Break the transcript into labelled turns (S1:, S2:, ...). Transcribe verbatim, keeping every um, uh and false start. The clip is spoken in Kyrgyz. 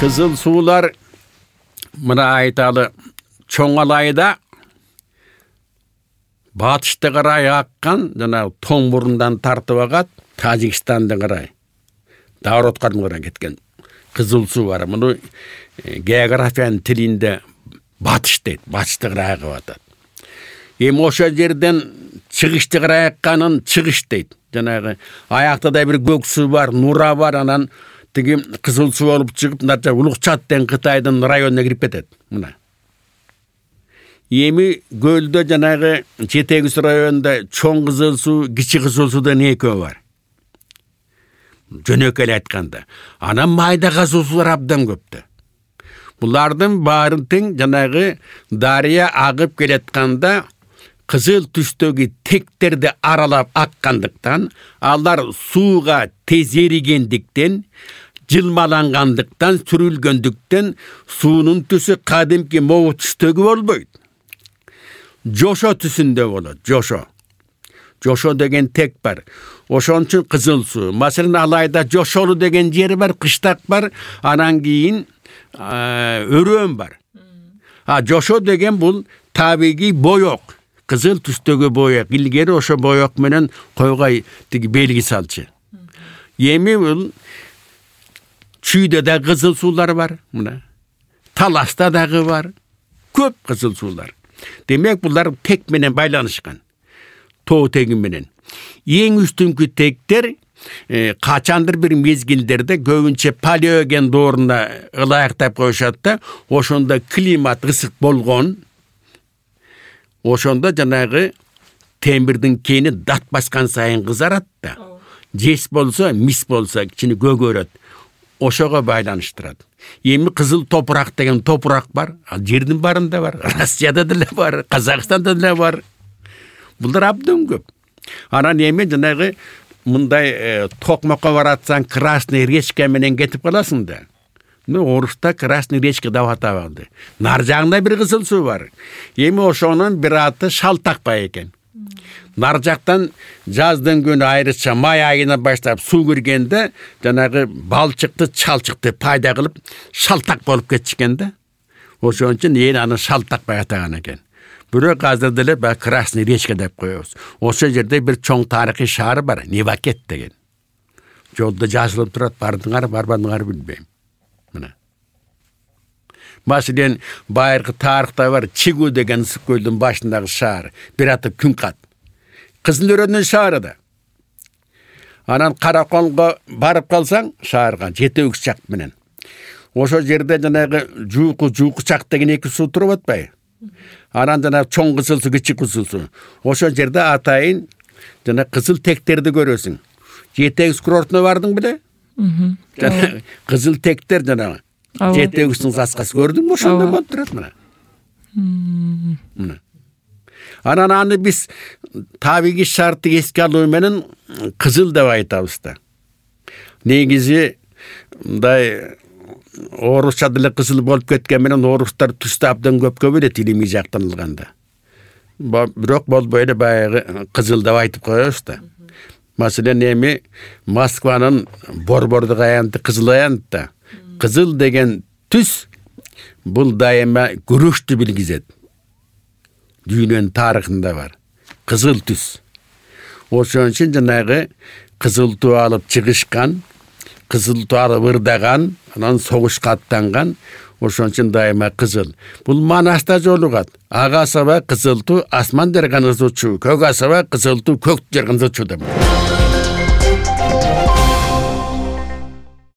S1: Кызыл суулар мына айталы чоң алайда батышты карай аккан жана тоң мурундан тартып агат Тажикстанды карай Давротка карай кеткен кызыл суу бар. Муну географиянын тилинде батыш дейт. Батышты карай агып атат. Эми ошо жерден чыгышты карай акканын чыгыш дейт. Жанагы аяктада бир көк суу бар, нура бар, анан тиги кызыл суу болуп чыгып мынча Улукчат деген Кытайдын районуна кирип кетет. Мына. Эми көлдө жанагы жетегис районунда чоң кызыл суу, кичи кызыл суудан экөө бар. Жөнөкөй эле айтканда. Анан майда кызыл суулар абдан көптө. Булардын баарын тең жанагы дарыя агып келатканда кызыл түстөгү тектерди аралап аккандыктан, алар сууга тез эригендиктен, жылмалангандыктан, сүрүлгөндүктөн суунун түсү кадимки могу түстөгү болбойт. Жошо түсүндө болот, жошо. Жошо деген тек бар. Ошон үчүн кызыл суу. Маселен Алайда Жошолу деген жери бар, кыштак бар, анан кийин өрөөн бар. А жошо деген бул табигый боек. Кызыл түстөгү боек. Илгери ошо боек менен койго тиги белги салчу. Эми бул чүйдө да кызыл суулар бар, мына. Таласта дагы бар. Көп кызыл суулар. Демек булар тек менен байланышкан. Тоо теги менен. Эң үстүнкү тектер e, качандыр бир мезгилдерде көбүнчө палеоген дооруна ылайыктап коюшат да, ошондо климат ысык болгон. Ошондо жанагы темирдин кени дат баскан сайын кызарат да. Жес болсо, мис болсо кичине көгөрөт. Ошого байланыштырат. Эми кызыл топурак деген топурак бар. Ал жердин барында бар. Россияда деле бар, Казакстанда деле бар. Булар абдан көп. Анан эми жанагы мындай э, токмокко баратсаң красный речка менен кетип каласың да. Ну, оруста красный речка деп атабады. Нар жагында бир кызыл суу бар. Эми ошонун бир аты Шалтакбай экен. Нар жактан жаздын күнү айрыча май айына баштап суу киргенде жанагы балчыкты, чалчыкты пайда кылып шалтак болуп кетишкен да. Ошон үчүн эл аны Шалтакбай атаган экен. Бирок азыр деле ба красный речка деп коебуз. Ошо жерде бир чоң тарыхый шаар бар, Невакет деген. Жолдо жазылып турат, бардыңар, барбадыңар билбейм. Мына. Маселен, байыркы тарыхта бар Чигу деген ысык көлдүн башындагы шаар, бир аты Күнкат. Кызыл өрөөнүн шаары да. Анан Караколго барып калсаң, шаарга жети үч чак менен. Ошо жерде жанагы жууку жууку чак деген эки суу туруп атпайбы? Анан жана чоң кызыл суу, кичи кызыл суу. Ошо жерде атайын жана кызыл тектерди көрөсүң. Жетегиз курортуна бардың беле? Жана кызыл тектер жана жетегиздин саскасы көрдүңбү? Ошондо болуп турат мына. Мына. Анан аны биз табигый шартты эске алуу менен кызыл деп айтабыз да. Негизи мындай орусча деле кызыл болуп кеткен менен орустар түстү абдан көпкө бөлөт илимий жактан алганда. Бирок болбой эле баягы кызыл деп айтып коебуз да. Маселен эми Москванын борбордук аянты кызыл аянт да. Кызыл деген түс бул дайыма күрөштү билгизет. Дүйнөнүн тарыхында бар. Кызыл түс. Ошон үчүн жанагы кызыл туу алып чыгышкан, кызыл туу алып ырдаган, анан согушка аттанган, ошон үчүн дайыма кызыл. Бул Манаста жолугат. Ага саба кызыл туу асман жарган ызычуу, көк асаба кызыл туу көк жарган ызычуу деп.